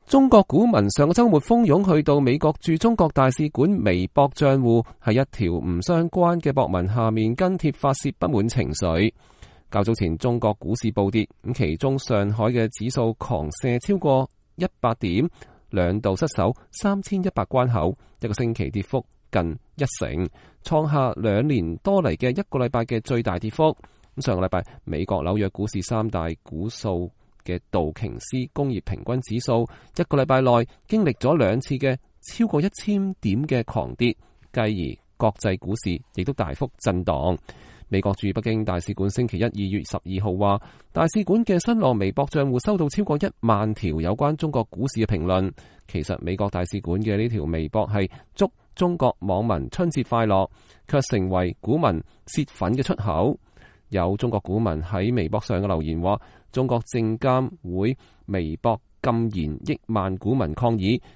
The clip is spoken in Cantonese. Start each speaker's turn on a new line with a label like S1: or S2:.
S1: 中國股民上個週末蜂擁去到美國駐中國大使館微博賬戶，喺一條唔相關嘅博文下面跟帖發洩不滿情緒。較早前中國股市暴跌，咁其中上海嘅指數狂瀉超過100點，兩度失守3100關口，一個星期跌幅近1成，創下2年多嚟嘅一個禮拜嘅最大跌幅。咁上個禮拜美國紐約股市三大股數嘅道瓊斯工業平均指數一個禮拜內經歷咗2次嘅超過1000點嘅狂跌，繼而國際股市亦都大幅震盪。美國駐北京大使館星期一2月12號話，大使館嘅新浪微博賬戶收到超過1萬條有關中國股市嘅評論。其實美國大使館嘅呢條微博係祝中國網民春節快樂，卻成為股民泄憤嘅出口。有中國股民喺微博上嘅留言話，中國證監會微博禁言億萬股民抗議，